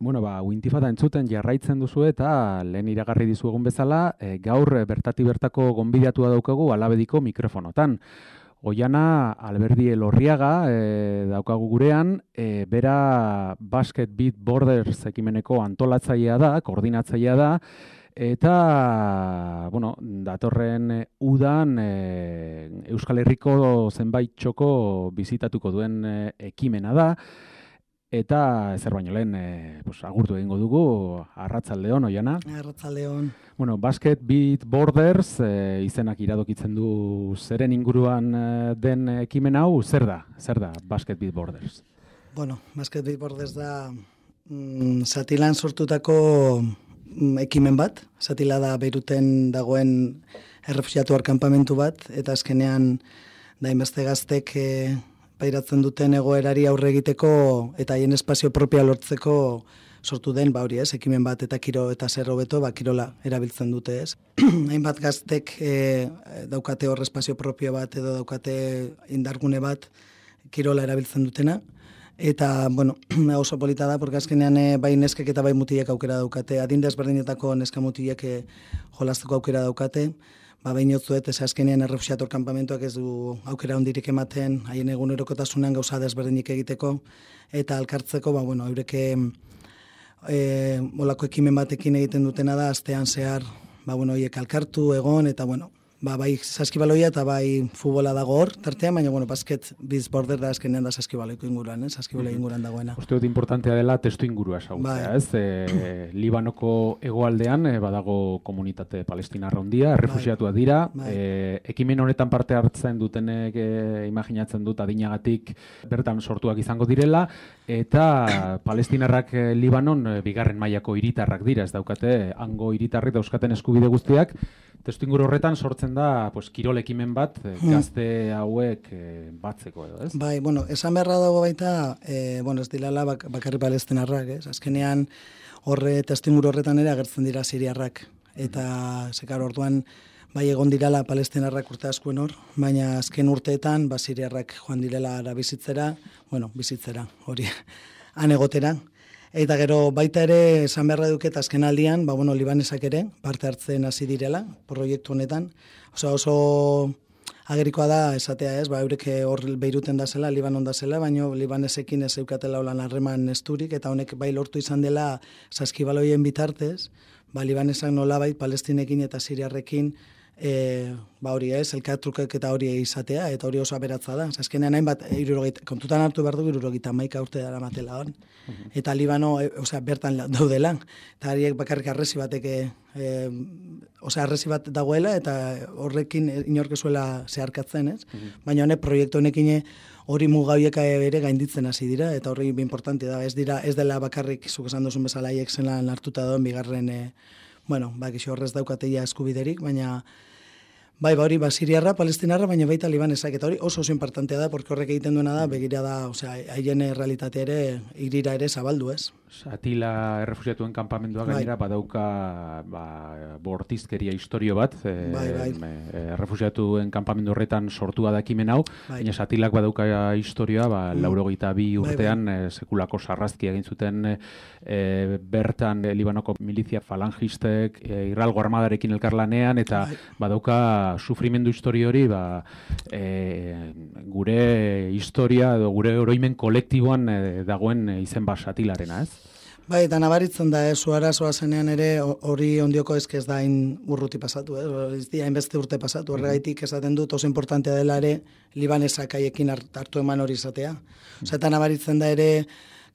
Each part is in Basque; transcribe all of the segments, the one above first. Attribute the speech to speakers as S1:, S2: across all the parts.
S1: Bueno, Wintifada entzuten jarraitzen duzu eta lehen iragarri dizuegun bezala, gaur bertati bertako gonbidatua daukagu Alabediko mikrofonotan. Oiana Alberdi Elorriaga daukagu gurean, bera Basket Beat Borders ekimeneko antolatzailea da, koordinatzailea da, eta, bueno, datorren udan Euskal Herriko zenbait txoko bizitatuko duen ekimena da. Eta ezer baino lehen, agurtu egingo dugu, arratsaldeon, Oiana.
S2: Arratsaldeon.
S1: Bueno, Basket Beat Borders izenak iradokitzen du zeren inguruan den ekimen hau, zer da Basket Beat Borders?
S2: Bueno, Basket Beat Borders da Zatilan sortutako ekimen bat. Zatila da Beiruten dagoen errefuxiatu kanpamentu bat, eta azkenean da inbeste gaztek pairatzen duten egoerari aurre egiteko eta haien espazio propia lortzeko sortu den, ekimen bat eta kiro eta zer hobeto, kirola erabiltzen dute, ez. Hainbat gaztek daukate hor espazio propio bat edo daukate indargune bat kirola erabiltzen dutena. Eta, oso polita da, porque azkenean bai neskek eta bai mutilek aukera daukate, adin desberdinetako neska mutilek jolasteko aukera daukate. Behin otzuet, ez azkenean errefuxiator kanpamentuak ez du aukera hondirik ematen, haien egunerokotasunean gauza desberdinik egiteko, eta alkartzeko, eureke molako ekimen batekin egiten dutena da, astean zehar, hiek alkartu, egon, eta bai saskibaloia eta bai futbola dago hor, tartean, baina, Basket Beat Borders da azkenean da saskibaloiko inguruan, saskibaloiko inguruan dagoena.
S1: Uste dut importantea dela testu ingurua esagutzea, ez? Libanoko hegoaldean badago komunitate palestinarra handia, errefuxiatuak dira, ekimen honetan parte hartzen dutenek imaginatzen dut adinagatik bertan sortuak izango direla, eta palestinarrak Libanon bigarren mailako hiritarrak dira, ez daukate, hango hiritarrik dauzkaten eskubide guztiak. Testuinguru horretan sortzen da kirol ekimen bat gazte hauek batzeko edo, ez?
S2: Bai, esan beharra dago baita, ez dilala bakarri palestinarrak, ez? Azkenean testuinguru horretan ere agertzen dira siriarrak. Eta, zekar orduan, bai egon dirala palestinarrak urte askuen hor, baina azken urteetan, siriarrak joan direla bizitzera, hori, han egotera. Eta gero baita ere esan beharra duket azken aldian, libanesak ere parte hartzen hasi direla proiektu honetan. Oso agerikoa da esatea, ez? Eurek hor Beiruten da zela, Libanon da zela, baina libanesekin ez eukatela holan harreman esturik, eta honek bai lortu izan dela saskibaloien bitartez, libanesak nolabait palestinekin eta siriarrekin elkartrukek eta hori izatea, eta hori oso aberatza da. Azkenean hainbat, kontutan hartu behar du 71 urte dara matela hon. Eta Libano, bertan daudela. Eta hariek bakarrik arresi batek, arresi bat dagoela, eta horrekin inorkezuela zeharkatzen, ez? Baina honek, proiektu honekin hori mugauieka ere gainditzen hasi dira, eta horri importante da. Ez dela bakarrik, zuk esan duzun bezala, haiek zelan hartuta doan bigarren, kixo horrez daukateia eskubiderik, baina hori siriarra, palestinarra, baina baita libanesak, eta hori oso importantea da, porque horrek egiten duena da, begira da, haien realitatea ere, irira ere zabaldu, ez?
S1: Atila errefuxiatuen kanpamendua gainera badauka bortizkeria historio bat, errefuxiatuen kanpamendu horretan sortua da ekimen hau, baina Atilak badauka historioa, 82 urtean sekulako sarrazkia egin zuten bertan Libanoko milizia falangistek Israelgo armadarekin elkarlanean, eta badauka sufrimendu historio hori gure historia edo gure oroimen kolektiboan dagoen izen Atilarena, ez?
S2: Eta nabaritzen da, arazoa zenean ere hori ondioko ez da hain urruti pasatu, ez di hainbeste urte pasatu, horregaitik esaten dut oso importantea dela ere libanesak haiekin hartu eman hori izatea. Eta nabaritzen da ere,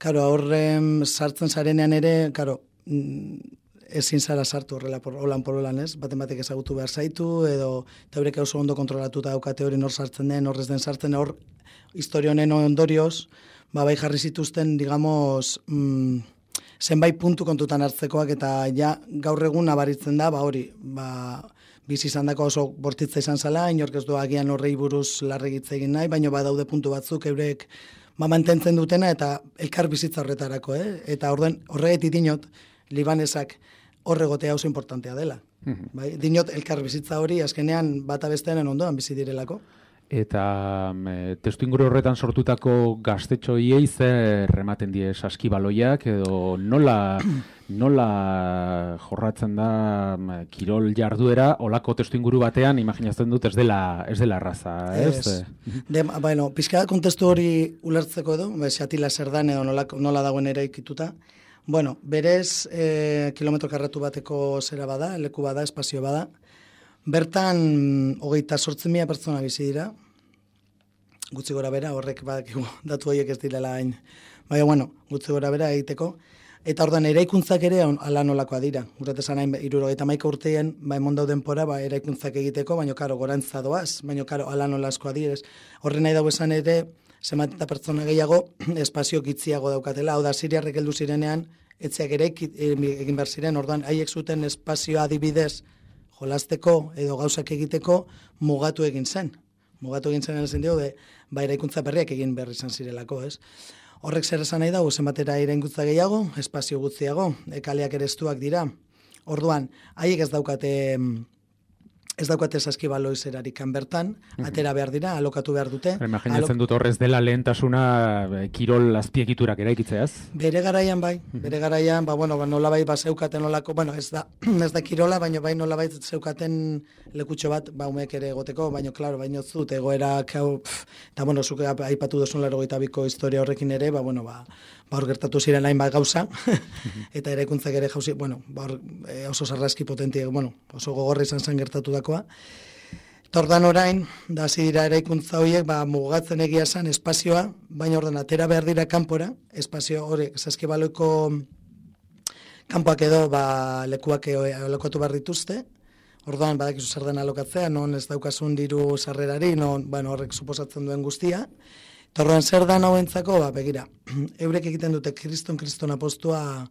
S2: horren sartzen zarenean ere, ezin zara sartu horrela holan pololan, ez? Baten batek ezagutu behar zaitu, edo eurek oso ondo kontrolatuta daukate hori nor sartzen den, horrez den sartzen, hor historia honen ondorioz, bai jarri zituzten, digamos, zenbait puntu kontutan hartzekoak, eta gaur egun nabaritzen da, bizi izan dako oso bortitza izan zala, inork ez du agian horrei buruz larregitze egin nahi, baina badaude puntu batzuk eurek mantentzen dutena, eta elkar bizitza horretarako, eta horregatik dinot, libanesak horregotea oso importantea dela. Dinot elkar bizitza hori, azkenean bata bestearen ondoan bizi direlako.
S1: Eta testuinguru horretan sortutako gaztetxoiei zer ematen die saskibaloiak edo nola jorratzen da kirol jarduera olako testuinguru batean imaginatzen dut ez dela erraza, ez?
S2: Bueno, pizka kontestu hori ulertzeko edo, xatila zer dan edo nola dagoen eraikituta. Bueno, berez kilometro karratu bateko zera bada, leku bada, espazio bada. Bertan 28.000 pertsona bizi dira, gutxi gora bera, horrek badakigu datu horiek ez direla hain. Baina, bueno, gutxi gora bera egiteko. Eta orduan, eraikuntzak ere ala nolakoa dira. Gurat esan hain, 71 urtean, emon dauden pora, eraikuntzak egiteko, baina, karo, gorantza doaz, baina, karo, ala nolazkoa direz. Horren nahi dago esan ere, zenbat eta pertsona gehiago, espazio gitziago daukatela. Hau da, siriarrek heldu zirenean, etxeak ere egin behar ziren, orduan, haiek zuten espazioa adibidez, jolasteko edo gauzak egiteko mugatu egin zen. Mugatu egin zen esan dio, eraikuntza berriak egin behar izan zirelako, ez? Horrek zer esan nahi dago, zenbatera eraikuntza gehiago, espazio gutxiago, kaleak ere estuak dira. Orduan, haiek ez daukate saskibaloi zerarik bertan, atera behar dira, alokatu behar dute.
S1: Imaginatzen dut horrez dela lehentasuna kirol azpiegiturak eraikitzeaz?
S2: Bere garaian bai, nolabait zeukaten nolako, ez da kirola, baina bai nolabait zeukaten lekutxo bat, umeek ere egoteko, baina klaro, baina zut egoerak, eta zuk aipatu duzun 82ko historia horrekin ere, hor gertatu ziren hain bat gauza, eta eraikuntzak ere jauzi, oso sarraski potentia, oso gogorra izan zen gertatu dakoa. Tordan orain, da hasi dira eraikuntza horiek, mugatzen egia zen espazioa, baina ordan atera behar dira kanpora, espazio horiek, saskibaloiko kanpoak edo lekuak alokatu behar dituzte, orduan badakizu zer den alokatzea, non ez daukasun diru sarrerari, horrek suposatzen duen guztia. Torroan zer da hauentzako, begira, eurek egiten dute kriston apostua,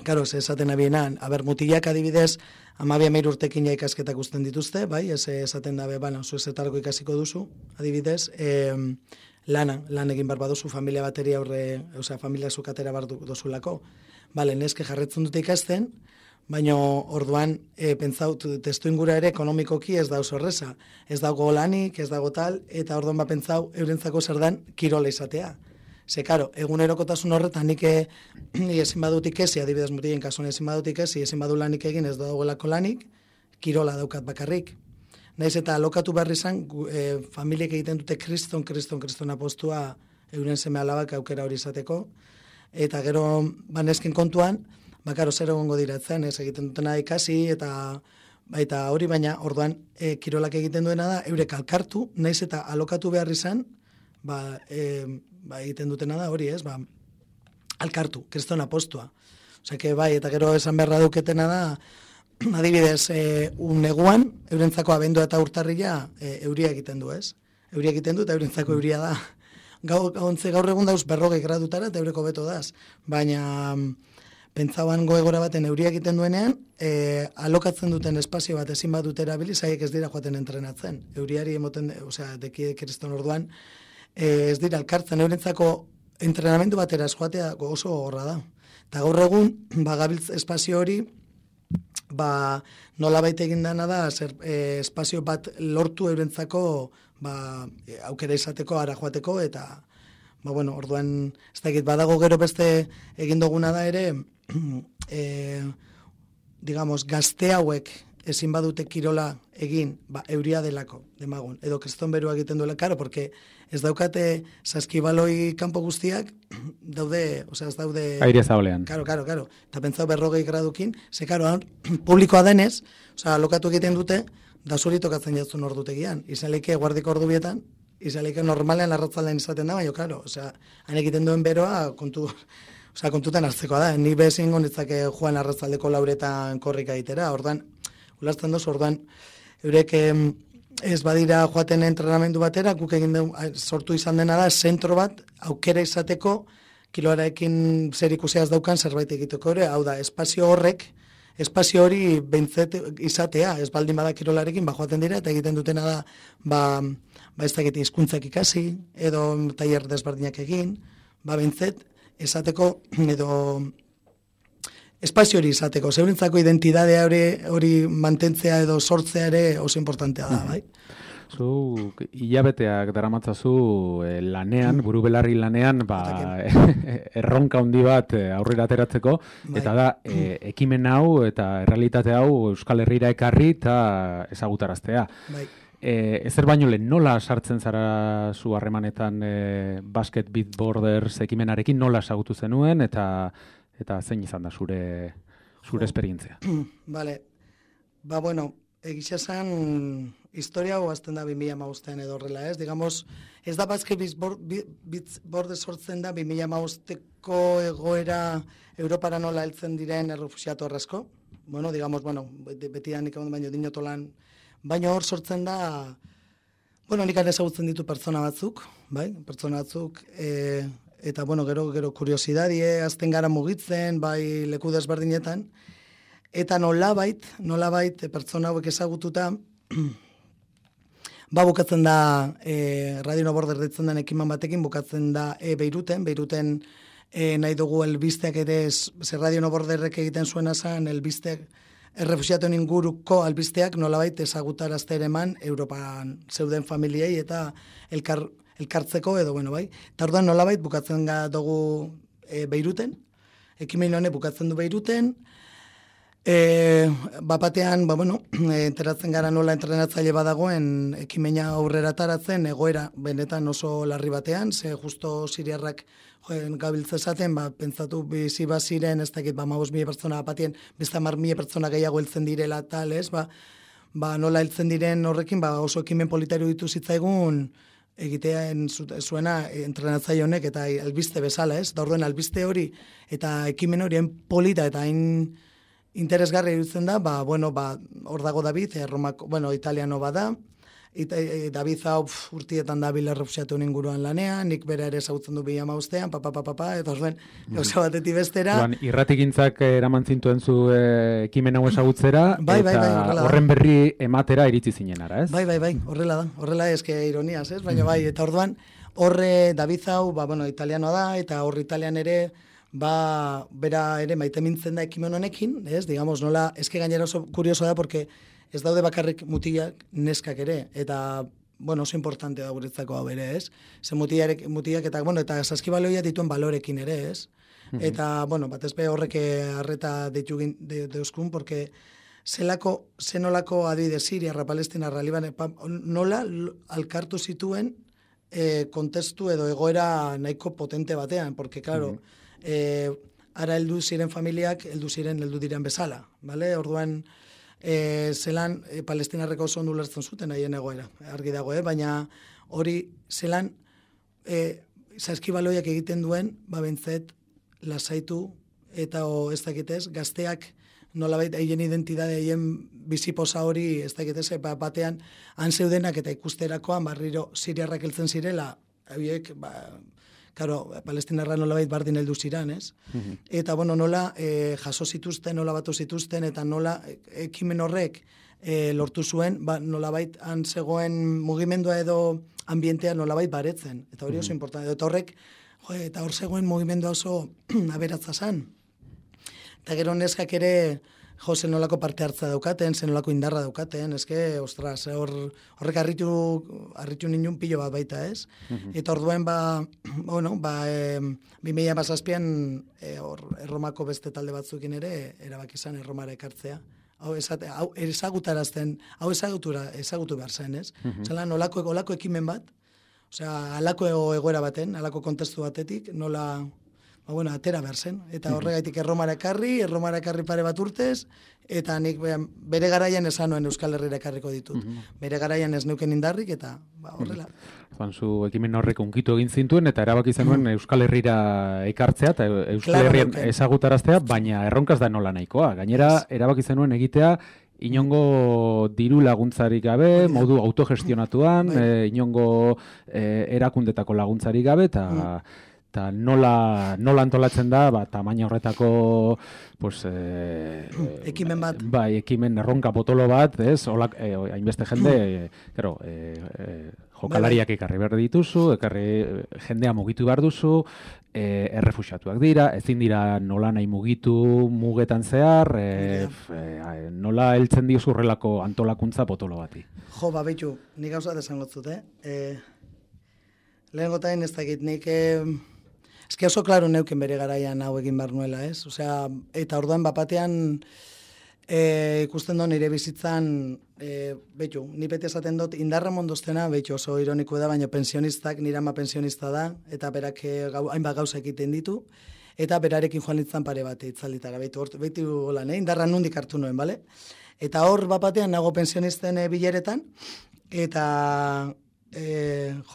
S2: karo, esaten abienan, mutilak adibidez, 12 urtekin ja ikasketak usten dituzte, bai, ez esaten dabe, zu ezetarako ikasiko duzu, adibidez, lan egin bar baduzu familia bateri aurre, familia zukatera bar dozulako. Bale, neske jarretzen dute ikasten, baina orduan, pentsaut, testuingura ere ekonomikoki ez da oso horreza. Ez dago lanik, ez dago tal, eta orduan pentsau, eurentzako zer dan kirola izatea. Ze, karo, egunerokotasun horretan nik ezin badut ikesi, adibidez mutilen kasuan ezin badut ikesi, ezin badu lanik egin ez dagoelako lanik, kirola daukat bakarrik. Naiz eta alokatu behar izan, familiek egiten dute kriston apostua euren seme alabak aukera hori izateko, eta gero nesken kontuan, karo, zer egongo diratzen, ez egiten dutena ikasi, eta hori baina, orduan, kirolak egiten duena da, eurek alkartu, naiz eta alokatu behar izan, egiten dutena da hori, ez, alkartu, kriston apostua. Osea, eta gero esan beharra duketena da, adibidez, neguan, eurentzako abendua eta urtarrila, euria egiten du, ez? Euria egiten du, eta eurentzako euria da. Gaur egun dauz 40 gradutara, eta eureko beto daz. Baina, pentsauan goegora baten euria egiten duenean, alokatzen duten espazio bat ezin bat dut erabili, zaiek ez dira joaten entrenatzen. Euriari emoten, deki kriston orduan, ez dira alkartzen, eurentzako entrenamendu batera joatea oso gogorra da. Eta gaur egun, gabiltz espazio hori, nola baita egin dana da, espazio bat lortu eurentzako aukera izateko, ara joateko, eta orduan, ez da egit, badago gero beste egin duguna da ere, gazte hauek ezin badute kirola egin, euria delako, demagun, edo kriston berua egiten duela, karo, porque ez daukate saskibaloi kanpo guztiak, daude, ez daude...
S1: Aire zabalean.
S2: Karo, eta pentsau 40 gradukin, ze karo, publikoa denez, alokatu egiten dute, da zuri tokatzen jatzun ordutegian, izan leike guardiko ordu bietan, izan leike normalean arratzaldean izaten da, baina, karo, han egiten duen beroa, kontutan hartzekoa da, ni bezin gonitzake joan arratzaldeko lauretan korrika egitera, ordan, ulertzen doz, orduan, eurek ez badira joaten entrenamendu batera, guk egin sortu izan dena da, zentro bat, aukera izateko, kiloarekin zer ikuseaz daukan zerbait egiteko ere, hau da, espazio hori behintzet izatea, ez baldin bada kirolarekin, joaten dira, eta egiten dutena da, ez da egiten hizkuntzak ikasi, edo tailer desberdinak egin, behintzet, esateko, edo espazio hori izateko, zeurentzako identidadea hori mantentzea edo sortzea ere oso importantea da, bai?
S1: Zu hilabeteak daramatzazu lanean, buru belarri lanean, erronka handi bat aurrera ateratzeko, eta da, ekimen hau eta errealitate hau Euskal Herrira ekarri eta ezagutaraztea. Ezer baino lehen, nola sartzen zara zu harremanetan Basket Beat Borders ekimenarekin, nola ezagutu zenuen, eta zein izan da zure esperientzia?
S2: Bale, bueno, egixe esan, historia hau azten da 2015 edo horrela, ez? Digamos, ez da Basket Beat Borders sortzen da 2015ko egoera Europara nola heltzen diren errefuxiatu arrasko. Bueno, digamos, beti da nik baino dinotolan, baina hor sortzen da, nik ezagutzen ditu pertsona batzuk, bai? Pertsona batzuk, eta, gero kuriosidadie, azten gara mugitzen, bai leku desberdinetan, eta nolabait pertsona hauek ezagututa, bukatzen da, Radio No Border ditzen den ekiman batekin, bukatzen da Beiruten nahi dugu elbisteak ere, Radio No Borderrek egiten zuena zen, elbisteak, errefuxiatuen inguruko albisteak nolabait ezagutarazte ere eman Europan zeuden familiei eta elkartzeko edo, bai. Eta orduan nolabait bukatzen dugu Beiruten, ekimen honek bukatzen du Beiruten, batean, enteratzen gara nola entrenatzaile badagoen ekimena aurrera taratzen, egoera benetan oso larri batean, ze justo siriarrak gabiltzezaten, pentsatu bizi baziren, ez dakit, 15.000 pertsona batien, beste 10.000 pertsona gehiago heltzen direla tal, ez, nola heltzen diren horrekin, oso ekimen politario ditu zitzaigun, egitean zuena entrenatzaile honek eta albiste bezala, ez, da orduen albiste hori eta ekimen horien polita eta hain interesgarri iruditzen da, hor dago David, italiano bada, David hau urtietan dabil errefuxiatuen inguruan lanean, nik bera ere ezagutzen du 2015, eta orduan, gauza batetik bestera.
S1: Irratigintzak eraman zintuen zu ekimen hau ezagutzera, eta horren berri ematera iritsi zinenara, ez?
S2: Bai, horrela eske ironiaz, ez? Baina eta orduan, horre David hau, italianoa da, eta horre italian ere, bera ere maite mintzen da ekimen honekin, ez? Digamos, nola, eske gainera oso kurioso da, porque ez daude bakarrik mutilak neskak ere, eta, oso importante da guretzako hau ere, ez? Ze mutilak eta, eta saskibaloia dituen balorekin ere, ez? Eta, batez be horrek arreta deuzkun, porque zenolako adibide Siria, Palestina, Liban, nola alkartu zituen kontestu edo egoera nahiko potente batean, porque, claro, ara heldu ziren familiak, heldu diren bezala, bale? Orduan, zelan palestinarreko oso ondo ulertzen zuten haien egoera, argi dago, baina hori zelan saskibaloiak egiten duen, bentzet lasaitu eta ez dakitez, gazteak nolabait haien identitate, haien biziposa hori, ez dakitez, batean han zeudenak eta ikusterakoan barriro siriarrak heltzen zirela, hauiek, claro, palestinarra nolabait bardin heldu ziran, ez? Eta, nola jaso zituzten, nola batu zituzten, eta nola ekimen horrek lortu zuen, nolabait han zegoen mugimendua edo ambientea nolabait baretzen. Eta hori oso importante. Eta horrek, eta hor zegoen mugimendua oso aberatza zan. Eta gero neskak ere, zenolako parte hartza daukaten, zenolako indarra daukaten, eske, ostras, horrek harritu ninun pilo bat baita, ez? Eta orduen, 2017an Erromako beste talde batzukin ere, erabaki izan Erromara ekartzea. Hau ezagutarazten, hau ezagutu behar zen, ez? Zelan, olako ekimen bat, alako egoera baten, alako kontestu batetik, nola atera behar zen. Eta horregaitik Erromara ekarri pare bat urtez, eta nik bere garaian esan nuen Euskal Herrira ekarriko ditut. Bere garaian ez neuken indarrik, eta horrela.
S1: Zu ekimen horrek unkitu egin zintuen, eta erabaki zenuen Euskal Herrira ekartzea, eta Euskal Herrian ezagutaraztea, baina erronkaz da nola nahikoa. Gainera, erabaki zenuen egitea, inongo diru laguntzarik gabe, modu autogestionatuan, inongo erakundetako laguntzarik gabe, eta nola antolatzen da, tamaina horretako
S2: ekimen bat.
S1: Ekimen erronka potolo bat, ez? Hainbeste jende, jokalariak ekarri behar dituzu, jendea mugitu behar duzu, errefuxiatuak dira, ezin dira nola nahi mugitu mugetan zehar, nola heltzen diozurrelako antolakuntza potolo bati.
S2: Jo, behitu, nik gauza desangotzut, lehen gotain ez dakit, nik eski oso klaro neuken bere garaian hau egin behar nuela, ez? Osea, eta orduan bapatean ikusten do nire bizitzan, behitu, ni beti esaten dut, indarra mondoztena, behitu oso ironiko da, baina pensionistak, nire ama pensionista da, eta berak hainbat gauza egiten ditu, eta berarekin joan nintzen pare bat itzalditara, behitu holan, indarra nundik hartu nuen, bale? Eta hor bapatean nago pensionisten bileretan, eta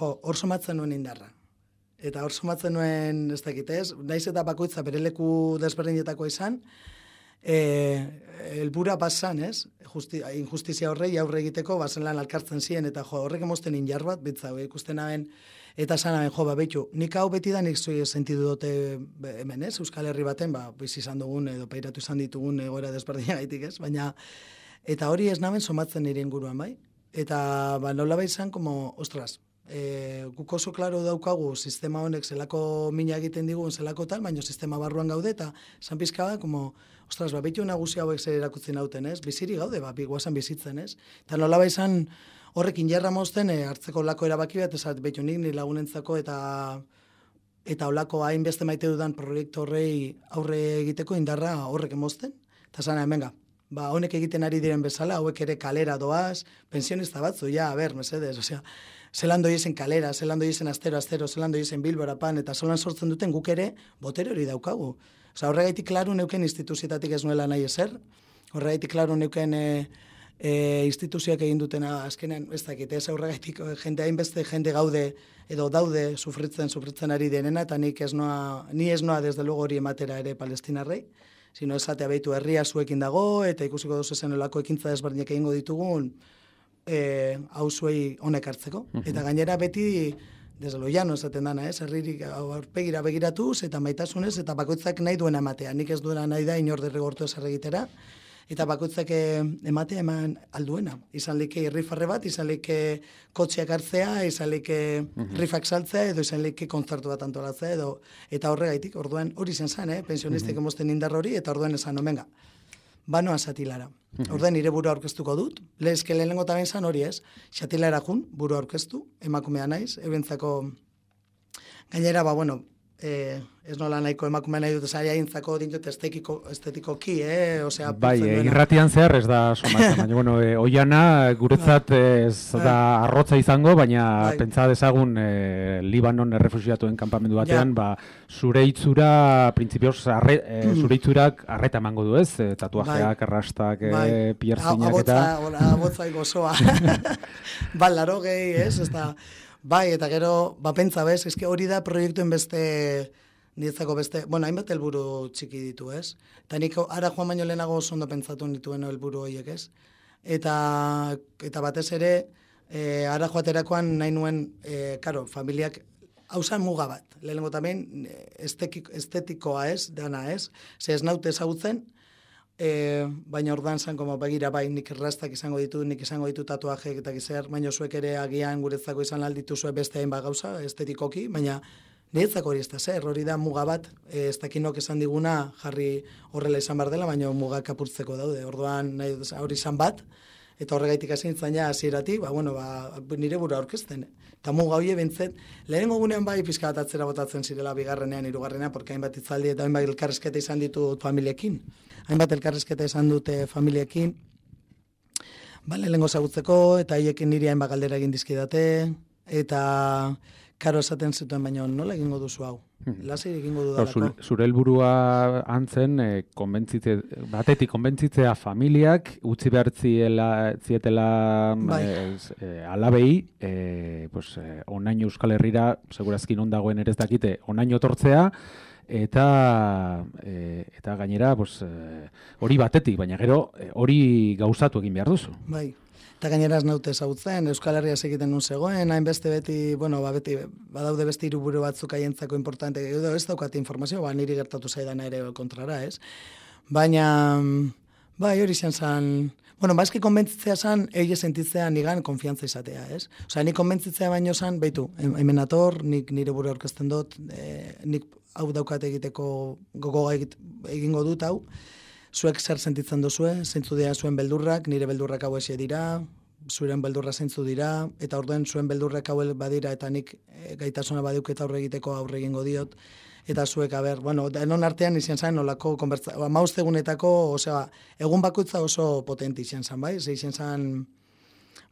S2: hor somatzen nuen indarra. Eta hor somatzen nuen, ez dakit ez, naiz eta bakoitza bere leku desberdinetako izan, helbura basan, ez? Injustizia horrei aurre egiteko bazen lan alkartzen ziren, eta horrek emosten injar bat, bitza, ikusten haben, eta zanaben, behitu, nik hau beti da nik sentidu dute hemen, ez? Euskal Herri baten, bizi izan dugun, edo peiratu izan ditugun egoera desberdinagaitik, ez? Baina, eta hori ez naben somatzen nire inguruan, bai? Eta, nola bai izan, ostras, guk oso klaro daukagu sistema honek zelako mina egiten digun zelako tal, baina sistema barruan gaude, eta esan pizka da, ostras, behitu nagusi hauek zer erakutzen hauten, ez? Biziri gaude, guazan bizitzen, ez? Eta nola bai izan horrekin jarra mozten, hartzeko lako erabaki bat, esat, behitu nik lagunentzako eta olako hainbeste maite dudan proiektu horrei aurre egiteko indarra horrek emozten, eta zana, venga, honek egiten ari diren bezala, hauek ere kalera doaz, pensionista batzu, mesedez, osea, zelan doiesen kalera, zelan doiesen astero, zelan doiesen Bilbora pan, eta zelan sortzen duten guk ere botere hori daukagu. Osea, horregaitik klaru neuken instituzietatik ez nuela nahi ezer, horregaitik klaru neuken instituzioak egin dutena azkenean, ez dakit, ez horregaitik hainbeste jende gaude edo daude sufritzen ari denena, eta ni ez noa desde luego hori ematera ere palestinarrei, sino esatea behitu herria zuekin dago, eta ikusiko duzu zen olako ekintza desberdinak egingo ditugun, hau zuei honek hartzeko. Eta gainera beti, desde lo llano esaten dana, herririk aurpegira begiratuz, eta maitasunez, eta bakoitzak nahi duena ematea. Nik ez duena nahi da inor derrigortu ez egitera, eta bakoitzak ematea eman alduena. Izan like rifarre bat, izan like kotxeak hartzea, izan like rifak saltzea, edo izan like kontzertu bat antolatzea, eta horregaitik, orduan hori zen, pensionistek emosten indar hori, eta orduan esan, omenga, banoa satilara. Orduan nire burua aurkeztuko dut, lehezke lehenengo taben zan hori ez, satilara jun, burua aurkeztu, emakumea naiz, ebentzako gainera, ez nola nahiko emakumea nahi dut, zari haintzako dintot estetikoki, osea...
S1: Bai, irratian zehar ez da somatzen, baina, oiana guretzat ez da arrotza izango, baina pentsa dezagun Libanon errefusiatuen kanpamendu batean, zure itzura, printzipioz, zure itzurak arreta emango du ez, tatuajeak, arrastak, pierzinak eta...
S2: Abotzai gozoa. Laro gehi, ez da... Bai, eta gero, pentsa bez, eske hori da proiektuen niretzako beste, hainbat helburu txiki ditu, ez? Eta nik ara joan baino lehenago oso ondo pentsatu nituen helburu horiek, ez? Eta batez ere, ara joaterakoan nahi nuen, familiak, hausan muga bat, lehenengo tamen, estetikoa ez, dana ez, ze ez naute ezagutzen, baina ordan zan, begira nik errastak izango ditu tatuajeek eta gizer, baina zuek ere agian guretzako izan alditu zuen beste hainbat gauza, estetikoki, baina niretzako hori ez da zer, hori da muga bat, ez dakinok esan diguna jarri horrela izan bar dela, baina mugak apurtzeko daude, orduan hori izan bat, eta horregaitik hasi nintzen ja hasieratik, nire burua aurkezten. Eta muga hori bintzen, lehenengo gunean bai pizka bat atzera botatzen zirela bigarrenean, hirugarrenean, porque hainbat itzaldi eta hainbat elkarrizketa izan ditut familiekin. Hainbat elkarrizketa izan dute familiekin, lehenengo zagutzeko, eta haiekin niri hainbat galdera egin dizkidate, eta karo esaten zituen, baina nola egingo duzu hau? Lasei egingo dudalako.
S1: Zure helburua antzen, batetik konbentzitzea familiak, utzi behar zietela alabei, onain Euskal Herrira, segurazkin ondagoen ere ez dakite, onain otortzea, eta gainera hori batetik, baina gero hori gauzatu egin behar duzu.
S2: Bai. Eta gainera ez naute ezagutzen, Euskal Herria egiten nun zegoen, hainbeste beti, beti badaude beste hiruburu batzuk haientzako importante, edo ez daukat informazio, niri gertatu zaidana ere kontrara, ez? Baina Bai, hori zen, bueno, bazki konbentzitzea zen, egia sentitzea nigan konfiantza izatea, ez? Osea, nik konbentzitzea baino zen, beitu, hemen ator, nik nire buru aurkezten dut, nik hau daukat egiteko gogoa egingo dut hau, zuek zer sentitzen duzue, zeintzu dira zuen beldurrak, nire beldurrak hau esie dira, zuren beldurra zeintzu dira, eta orduen zuen beldurrak hau badira, eta nik gaitasuna badiuk eta aurre egiteko aurre egingo diot, eta zuek, bueno, denon artean izan zen, nolako konbertza, egunetako, osea, egun bakoitza oso potente izan zen, bai? Ze izan zen,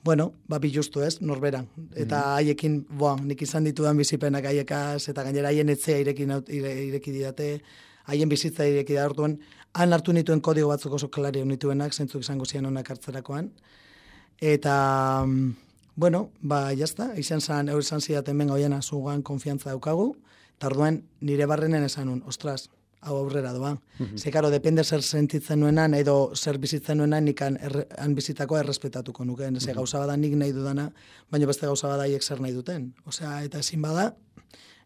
S2: bueno, bilustu ez, norberan. Eta haiekin, nik izan ditudan bizipenak haiekaz, eta gainera haien etzea ireki didate, haien bizitza ireki da orduan, han hartu nituen kodigo batzuk oso klari nituenak, zentzuk izango zian honak hartzerakoan. Eta, bueno, jazta, izan zidaten benga hoiena zugan konfiantza daukagu, eta orduan nire barrenen esan nun, ostras, hau aurrera doa. Ze, karo, depende zer sentitzen nuenan, edo zer bizitzen nuenan, nik han bizitakoa errespetatuko nukeen. Ze gauza bada nik nahi dudana, baina beste gauza bada haiek zer nahi duten. Osea, eta ezin bada,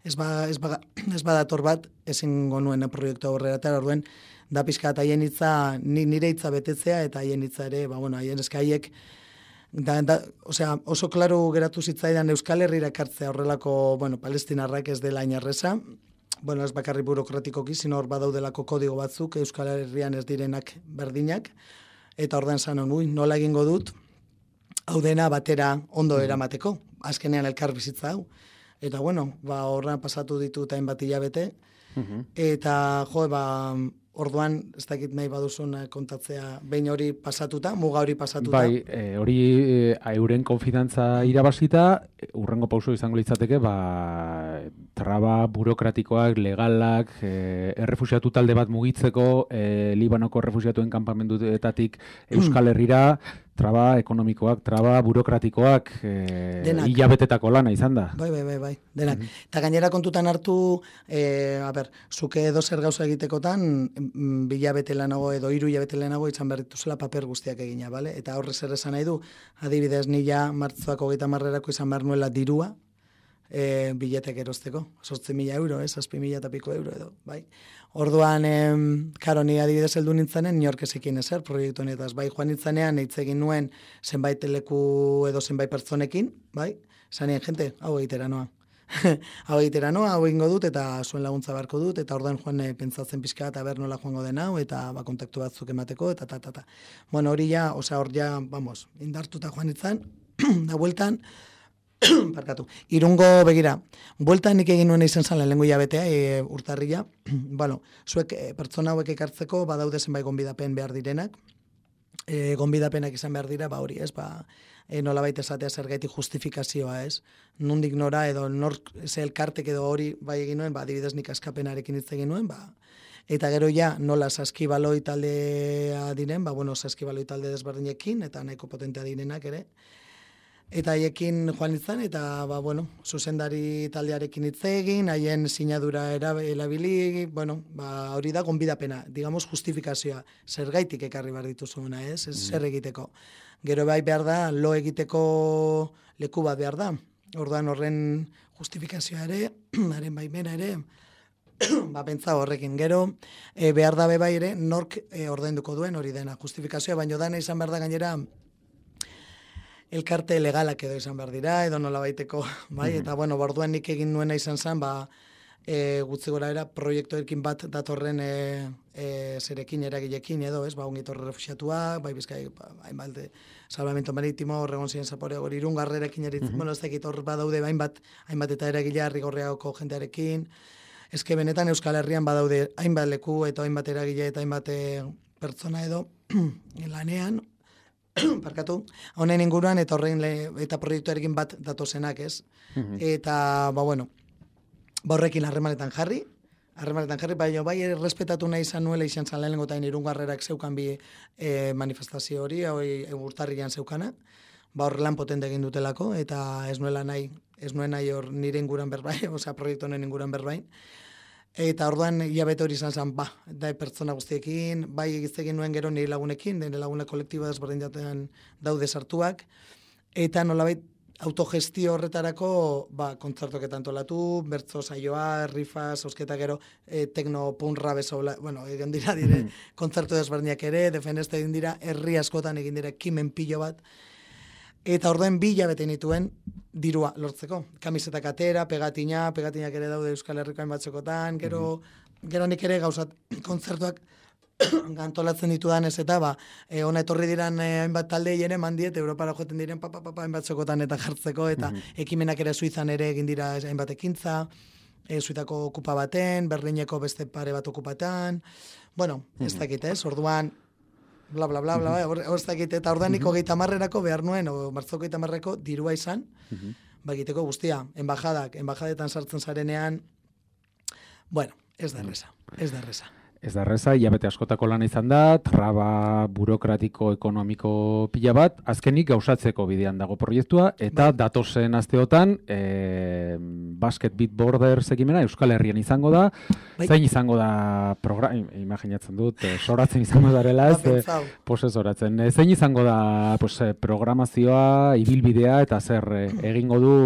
S2: ez badator bat, ezin gonuen proiektu aurrera, eta orduan, da pixka eta haien hitza, nire hitza betetzea, eta haien hitza ere, haien eska haiek, osea, oso klaru geratu zitzaidan Euskal Herrira ekartzea horrelako, palestinarrak ez dela inarreza, ez bakarri burokratikoki, sino hor badaudelako kodigo batzuk, Euskal Herrian ez direnak berdinak, eta ordan zanon, nola egingo dut, hau dena batera ondo eramateko, azkenean elkar bizitza hau. Eta horra pasatu ditut hainbat hilabete, eta orduan, ez dakit nahi baduzun kontatzea, behin hori pasatuta, muga hori pasatuta.
S1: Bai, hori euren konfidantza irabazita, urrengo pauso izango litzateke, traba burokratikoak, legalak, errefusiatu talde bat mugitzeko, Libanoko errefusiatuen kanpamenduetatik Euskal Herrira, traba ekonomikoak, traba burokratikoak, hilabetetako lana izan da.
S2: Bai, denak. Eta gainera kontutan hartu, zuke edo zer gauza egitekotan, bilabete lanago edo 3 hilabete lanago izan behar dituzela paper guztiak egina, bale? Eta horre zer esan nahi du, adibidez nila martzoak 30 izan behar nuela dirua, biletek erosteko, 8.000 euro, 6.000 eta piko euro edo, bai? Orduan, karo, ni adibidez heldu nintzanen, New York ezekin ezer, proiektu honetaz, bai, joan nintzanean, hitz egin nuen zenbait leku edo zenbait pertsonekin, bai? Zanien, jente, hau egitera noa. Hau egitera noa, hau egingo dut, eta zuen laguntza beharko dut, eta orduan joan pentsatzen pixka, eta ber nola joango den hau, eta kontaktu batzuk emateko, eta. Bueno, hori ja, hor ja, indartuta joan nintzen, da bueltan, parkatu. Irungo begira, bueltan nik egin nuen izan zan lehenengo hilabetea, urtarrila, zuek pertsona hauek ekartzeko badaude zenbait gonbidapen behar direnak, gonbidapenak izan behar dira, hori ez, nolabait esatea zergaitik justifikazioa ez, nondik nora edo ze elkartek edo hori bai egin nuen, adibidez nik askapenarekin hitz egin nuen, eta gero ja nola saskibaloi taldea diren, saskibaloi talde desberdinekin, eta nahiko potentea direnak ere, eta haiekin joan nintzen, eta zuzendari taldearekin hitz egin, haien sinadura erabili, hori da gonbidapena, digamos justifikazioa, zergaitik ekarri behar dituzuna, ez zer egiteko. Gero bai behar da, lo egiteko leku bat behar da, orduan horren justifikazioa ere, haren baimena ere, pentsa horrekin. Gero, behar da bai ere, nork ordainduko duen hori dena, justifikazioa, baino dana izan behar da gainera, elkarte legalak edo izan behar dira, edo nola baiteko, bai, eta orduan nik egin nuena izan zen, gutzi gora era, proiektuekin bat datorren zerekin, eragilekin edo, ez, ongitorre refusiatuak, bai bizkai, hainbat, salvamento maritimo, horregon ziren zapore, hori irungarrerekin eritzen, ez dakit hor badaude, hainbat eta eragilea rigorreako jentearekin, ezke benetan Euskal Herrian badaude hainbat leku eta hainbat eragile eta hainbat pertsona edo lanean, parkatu, honen inguruan eta horrein eta proiektuarekin bat datozenak, ez? Eta, horrekin harremanetan jarri, baina bai errespetatu nahi izan nuela izan zan lehenengo eta irungarrerak zeukan bi manifestazio hori, urtarrian zeukana, hor lan potente egin dutelako, eta ez nuen nahi hor nire inguran berbain, proiektu honen inguran berbain, eta orduan hilabete hori izan zen, da pertsona guztiekin, bai egiztegin nuen gero nire lagunekin, nire lagune kolektiba desberdin jatean daude sartuak, eta nolabait autogestio horretarako kontzertoak antolatu, bertzo saioa, rifa, zozketa gero, tekno, punra, bezola, egin dira kontzertu desberdinak ere, defeneste egin dira, herri askotan egin dira ekimen pilo bat, eta orduen 2 hilabete nituen dirua lortzeko. Kamisetak atera, pegatinak ere daude Euskal Herriko hainbatzekotan, gero nik ere gauzat kontzertuak antolatzen ditudan ez eta ona etorri diran hainbat taldei ere mandiet Europara joeten diren hainbat zokotan eta jartzeko eta ekimenak ere Suizan ere egin dira hainbat ekintza, Suitako okupa baten, Berlineko beste pare bat okupatan, ez dakit orduan bla bla bla bla, ez dakit eta ordanik 30erako behar nuen, martzoko 30erako dirua izan, egiteko guztia, enbajadetan sartzen zarenean, ez da erreza.
S1: Ez da erreza, hilabete askotako lana izan da, traba burokratiko ekonomiko pila bat, azkenik gauzatzeko bidean dago proiektua, eta datozen asteotan, Basket Beat Borders ekimena Euskal Herrian izango da, zein izango da imaginatzen dut, soratzen izango darela, soratzen, zein izango da programazioa, ibilbidea, eta zer egingo du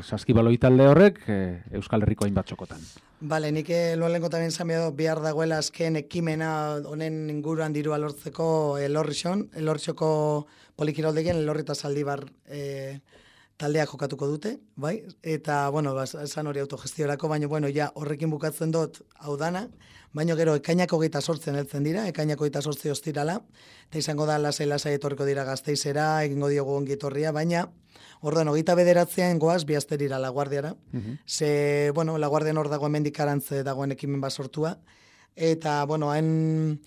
S1: saskibaloi talde horrek Euskal Herriko hainbat txokotan.
S2: Bale, nik loalengo tamen zamedo behar dagoela azken ekimena honen inguruan dirua lortzeko Elorrixoko polikiroldegian Elorri eta Zaldibar taldeak jokatuko dute, bai? Eta, esan hori autogestiorako, baina, ja, horrekin bukatzen dut hau dana, baina gero ekainak 28 heltzen dira, ekainak 28 ostirala, eta izango da lasai etorriko dira Gasteizera, egingo diogu ongi etorria, baina orduan, 29 goaz, bihazterira Laguardiara. Ze, Laguardian hor dago hemendik arantze dagoen ekimen bat sortua. Eta, hain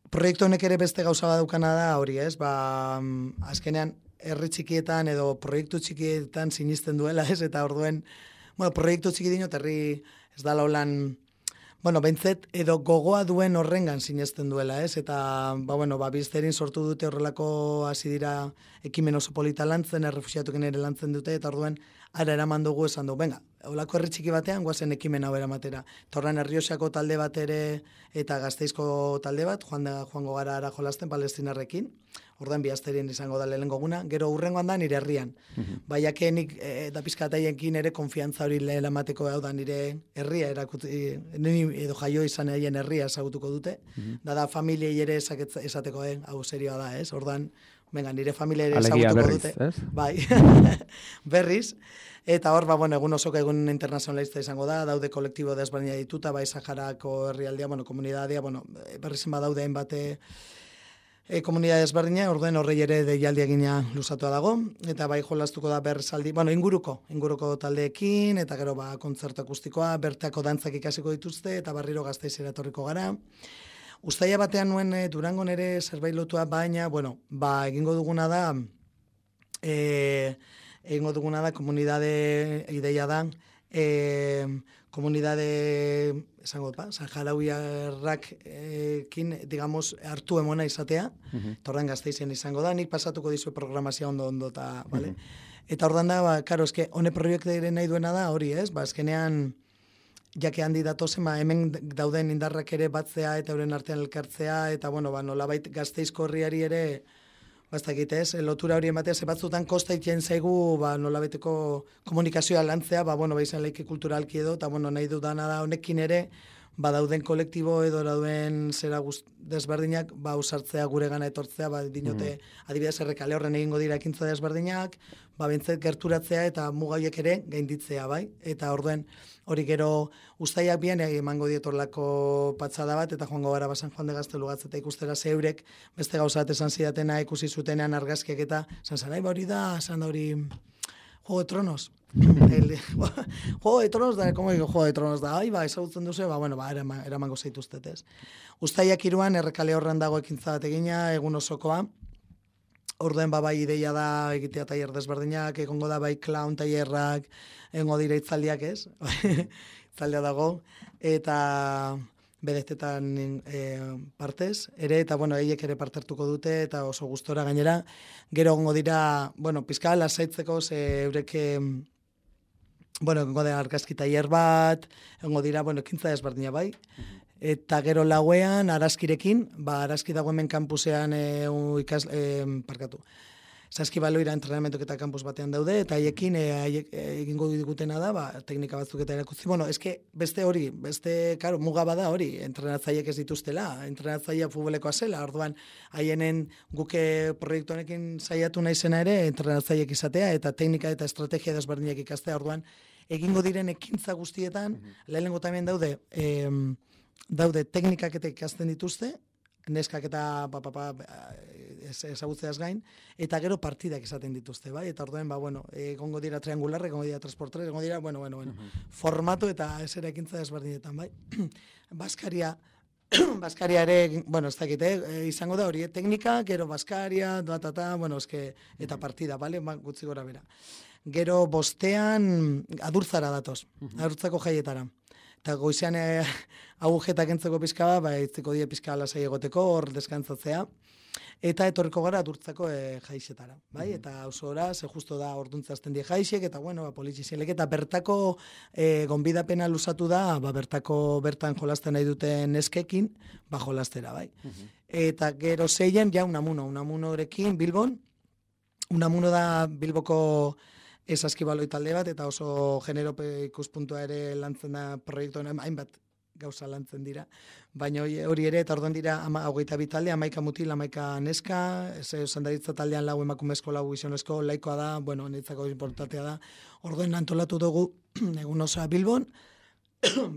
S2: proiektu honek ere beste gauza badaukana da hori, ez? Azkenean, herri txikietan edo proiektu txikietan sinisten duela, ez? Eta orduen, proiektu txiki dinot, herri ez da laulan, bentzet edo gogoa duen horrengan sinesten duela, ez? Eta, bizterin sortu dute horrelako hasi dira ekimen oso polita lantzen, errefuxiatuken ere lantzen dute, eta orduen, ara eraman dugu esan du, holako herri txiki batean, guazen ekimen hau eramatera. Torran Errioxako talde bat ere, eta Gasteizko talde bat, joango gara ara jolasten palestinarrekin, ordan bihazterien izango da lehenengo guna, gero hurrengoan da nire herrian. Baiake nik eta pizkataiekin ere konfiantza hori lehelamateko hau da nire herria erakuti, edo jaio izan egin herria esagutuko dute, da familiei ere esateko, hau serioa da, ez? Ordan, nire familia ere esagutuko dute. Bai, berriz. Eta hor, egun osoko egun internazionalista izango da, daude kolektibo desberdina dituta, bai Saharako herrialdea, komunidadea, berrizen badaude hainbate komunidade desberdina, orduen horrei ere deialdi egina luzatua dago, eta bai jolastuko da bersaldi, inguruko taldeekin, eta gero kontzertu akustikoa, bertako dantzak ikasiko dituzte, eta barriro Gasteizera etorriko gara. Uztaila batean nuen Durangon ere zerbait lotua, baina, egingo duguna da, komunidade ideia da, komunidade, esango dut, saharauiarrak digamos, hartu emona izatea, torren Gasteizen izango da, nik pasatuko dizu programazioa ondo, eta, bale? Eta ordan da, karo, eske, hone proiektu nahi duena da, hori, ez? Azkenean, jake handi datozen, hemen dauden indarrak ere batzea eta euren artean elkartzea, eta, nolabait Gasteizko herriari ere, ez, lotura hori ematea, ze batzutan kosta itien zaigu, nolabeteko komunikazioa lantzea, izan leike kulturalki edo, eta, nahi dudana da honekin ere, dauden kolektibo edo dauden zera desberdinak, usartzea gure gana etortzea, dinote, adibidez, Errekale horren egingo dira ekintza desberdinak, bentzet gerturatzea eta mugaiek ere gainditzea, bai? Eta orduen, hori gero uztaiak bien emango dietorlako patzada bat, eta joango gara San Juan de Gaztelu gatzeta ikustera zeurek, beste gauzat esan zidatena ikusi zutenean argazkiak eta, zan hori da, Juego de Tronos. Juego de Tronos da, como digo, Juego de Tronos da, ezagutzen duzu, eramango zaituztet, ez. Uztaiak 3 Errekale horren dago ekintza bat egina, egun osokoa, orduen bai ideia da egitea tailer desberdinak, egongo da bai clown tailerrak, egongo dira itzaldiak, ez? Itzaldea dago, eta bedezetan partez, ere, eta, eiek ere parte hartuko dute, eta oso gustora gainera, gero egongo dira, pizka lasaitzeko, eurek, egongo da argazki tailer bat, egongo dira, ekintza desberdina bai, eta gero lauean, arazkirekin, arazki dago hemen kampusean saskibaloira entrenamentok eta kanpus batean daude, eta haiekin egingo digutena da, teknika batzuk eta erakutzi. Bueno, eske beste hori, karo, muga bada hori, entrenatzaileek ez dituztela, entrenatzailea futbolekoa zela, orduan haienen guke proiektu honekin saiatu naizena ere, entrenatzaileek izatea, eta teknika eta estrategia desberdinak ikastea, orduan egingo diren ekintza guztietan, lehenengo tamien daude teknikak eta ikasten dituzte, neskak eta ezagutzeaz gain, eta gero partidak izaten dituzte, bai? Eta orduan, egongo dira triangularra, egongo dira 3x3, egongo dira, formatu eta esera ekintza desberdinetan, bai? Baskaria ere, ez dakit, izango da hori, teknika, gero baskaria, eta partida, bale? Gutxi gora bera. Gero bostean adurtzara datoz, adurtzako jaietara. Eta goizean agujetak entzeko pizka itziko die pizka lasai egoteko, hor deskantzatzea. Eta etorriko gara adurtzako jaixetara, bai? Eta osora, ze justo da orduntzazten die jaixek, eta polizizielek, eta bertako gonbidapena luzatu da, bertan jolasten nahi duten neskekin, jolastera, bai? Eta gero zeien, ja unamunorekin Bilbon, unamuno da Bilboko saskibaloi talde bat, eta oso generope ikuspuntua ere lantzen da proiektuan, hainbat gauza lantzen dira. Baina hori ere, eta orduan dira 22 talde, 11 mutil, 11 neska, zandaritza taldean 4 emakumezko, 4 gizonezko, laikoa da, niretzako importantea da. Orduan antolatu dugu egun osoa Bilbon,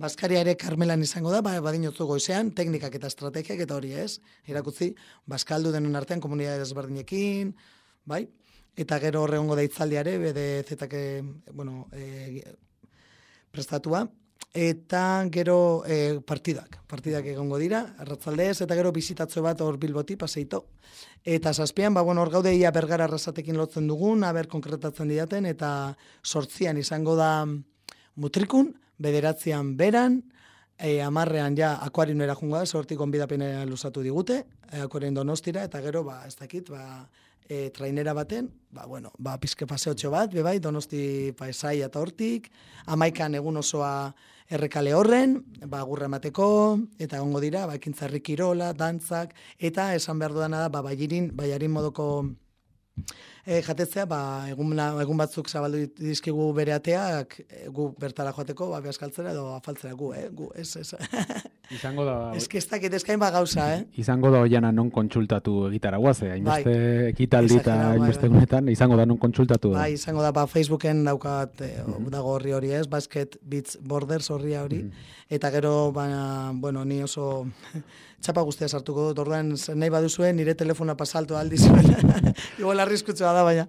S2: Baskaria ere Karmelan izango da, badinotzu goizean, teknikak eta estrategiak eta hori ez, irakutzi, Baskaldu denon artean komunidade desberdinekin, bai? Eta gero horregongo da itzaldiare, BDZ-ak prestatua, eta gero partidak egongo dira, arratzaldez, eta gero bizitatzo bat hor Bilboti, paseito. Eta zazpian, hor gaude ia Bergara arrasatekin lotzen dugun, aber konkretatzen didaten, eta 8an izango da Mutrikun, 9an Beran, 10an ja Akuarioera jungo da, sortik gonbidapena luzatu digute, Akuarioen Donostira, eta gero, ez dakit, trainera baten, pizke paseotxo bat, bebai, Donosti Paesai eta hortik, 11an egun osoa Errekale horren, gurra emateko, eta egongo dira, ekintzarri kirola, dantzak, eta esan behar dudana da, baiarin modoko jatetzea, egun batzuk zabaldu dizkigu bere ateak, gu bertara joateko, behaskaltzera edo afaltzera gu, ez.
S1: Izango da...
S2: Ez dakit ezkain gauza,
S1: Izango da oiana non kontsultatu egitara guaze, hainbeste ekitaldi eta hainbeste gunetan, izango da non kontsultatu.
S2: Bai, izango da, Facebooken daukat, dago hori ez, Basket Beats Borders horria hori, eta gero, ni oso txapa guztia sartuko dut, orduan nahi baduzuen, nire telefona pasaltu aldizuen, igual arriskutsua da, baina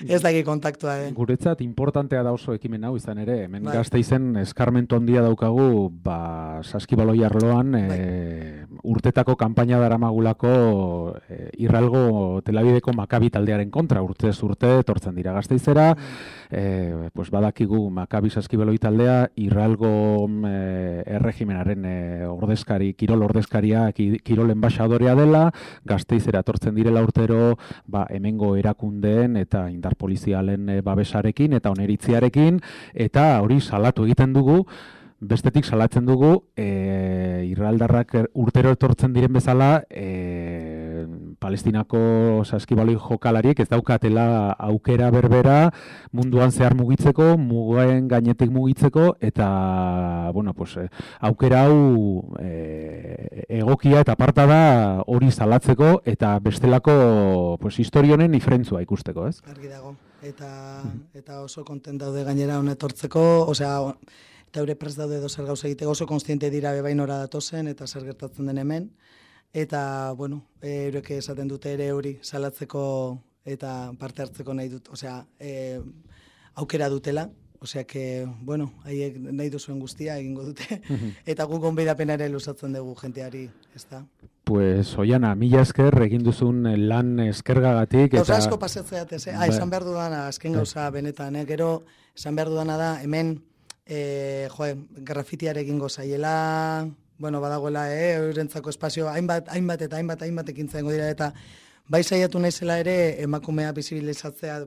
S2: ez daki kontaktua.
S1: Guretzat, importantea da oso ekimen hau izan ere, hemen Gasteizen eskarmentu handia daukagu, saskibaloi arloan, urtetako kanpaina daramagulako Irralgo Telabideko Makabi taldearen kontra, urtez urte, etortzen dira Gasteizera, badakigu Makabi saskibaloi taldea, Irralgo erregimenaren kirol ordezkaria, kirol enbaixadorea dela, Gasteizera etortzen direla urtero, hemengo erakundeen eta indar polizialen babesarekin eta oneritziarekin, eta hori salatu egiten dugu, bestetik salatzen dugu, irraldarrak urtero etortzen diren bezala, Palestinako saskibaloi jokalariek ez daukatela aukera berbera munduan zehar mugitzeko, mugaen gainetik mugitzeko, eta aukera hau egokia eta aparta da hori salatzeko, eta bestelako historionen ifrentzua ikusteko, ez?
S2: Argi dago, eta oso kontent daude gainera honetortzeko, eta eure prest daude zer gauza egiteko, oso konstiente dira bebainora datozen, eta zer gertatzen den hemen, eta, eurek esaten dute ere hori salatzeko eta parte hartzeko nahi dut, aukera dutela, haiek nahi duzuen guztia egingo dute, eta guk gonbidapena ere luzatzen dugu jenteari, ez da?
S1: Pues, Oiana, mila esker, egin duzun lan eskergagatik.
S2: Gauza asko pasatzeat, esan behar dudana, azken gauza benetan, gero, esan behar dudana da, hemen, grafitiare egingo zaiela, badagoela, eurentzako espazio, hainbat ekintza dengo dira, eta bai saiatu naizela ere emakumea bizibilizatzea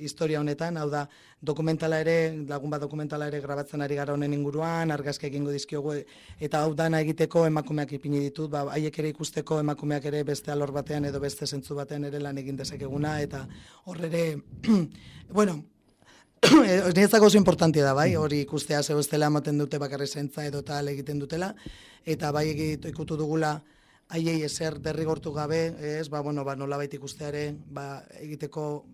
S2: historia honetan, hau da, dokumentala ere, lagun bat dokumentala ere grabatzen ari gara honen inguruan, argazki egingo dizkiogu, eta hau dana egiteko emakumeak ipini ditut, haiek ere ikusteko emakumeak ere beste alor batean edo beste zentzu batean ere lan egin dezakeguna, eta hor ere, bueno, niretzako oso importantia da, bai, hori ikustea zeu estela ematen dute bakarri zaintza edo tal egiten dutela, eta bai ikutu dugula haiei ezer derrigortu gabe, nolabait ikusteare, egiteko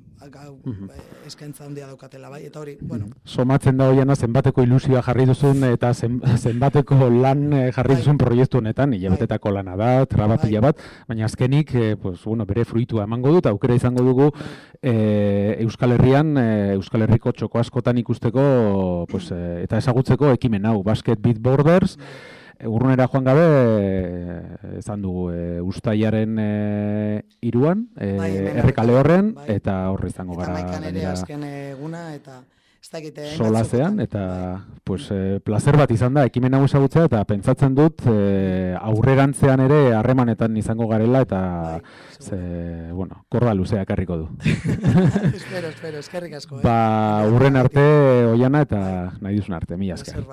S2: eskaintza handia daukatela, bai, eta hori, bueno.
S1: Somatzen da hoiana zenbateko ilusioa jarri duzun eta zenbateko lan jarri duzun proiektu honetan, hilabetetako lana da, trabapila bat, baina azkenik, bere fruitua emango dut, aukera izango dugu Euskal Herrian, Euskal Herriko txoko askotan ikusteko, eta ezagutzeko ekimen hau, Basket Beat Borders, urrunera joan gabe, ezan dugu, Uztailaren 3an, Errekale horren, eta horre izango gara.
S2: Eta maikan ere azken eguna, eta ez dakite.
S1: Solazean, eta placer bat izan da, ekimen hau ezagutzea, eta pentsatzen dut aurrerantzean ere harremanetan izango garela, eta korda luzea ekarriko du.
S2: Espero, eskerrik asko.
S1: Urren arte, Oiana, eta nahi duzun arte, mila esker.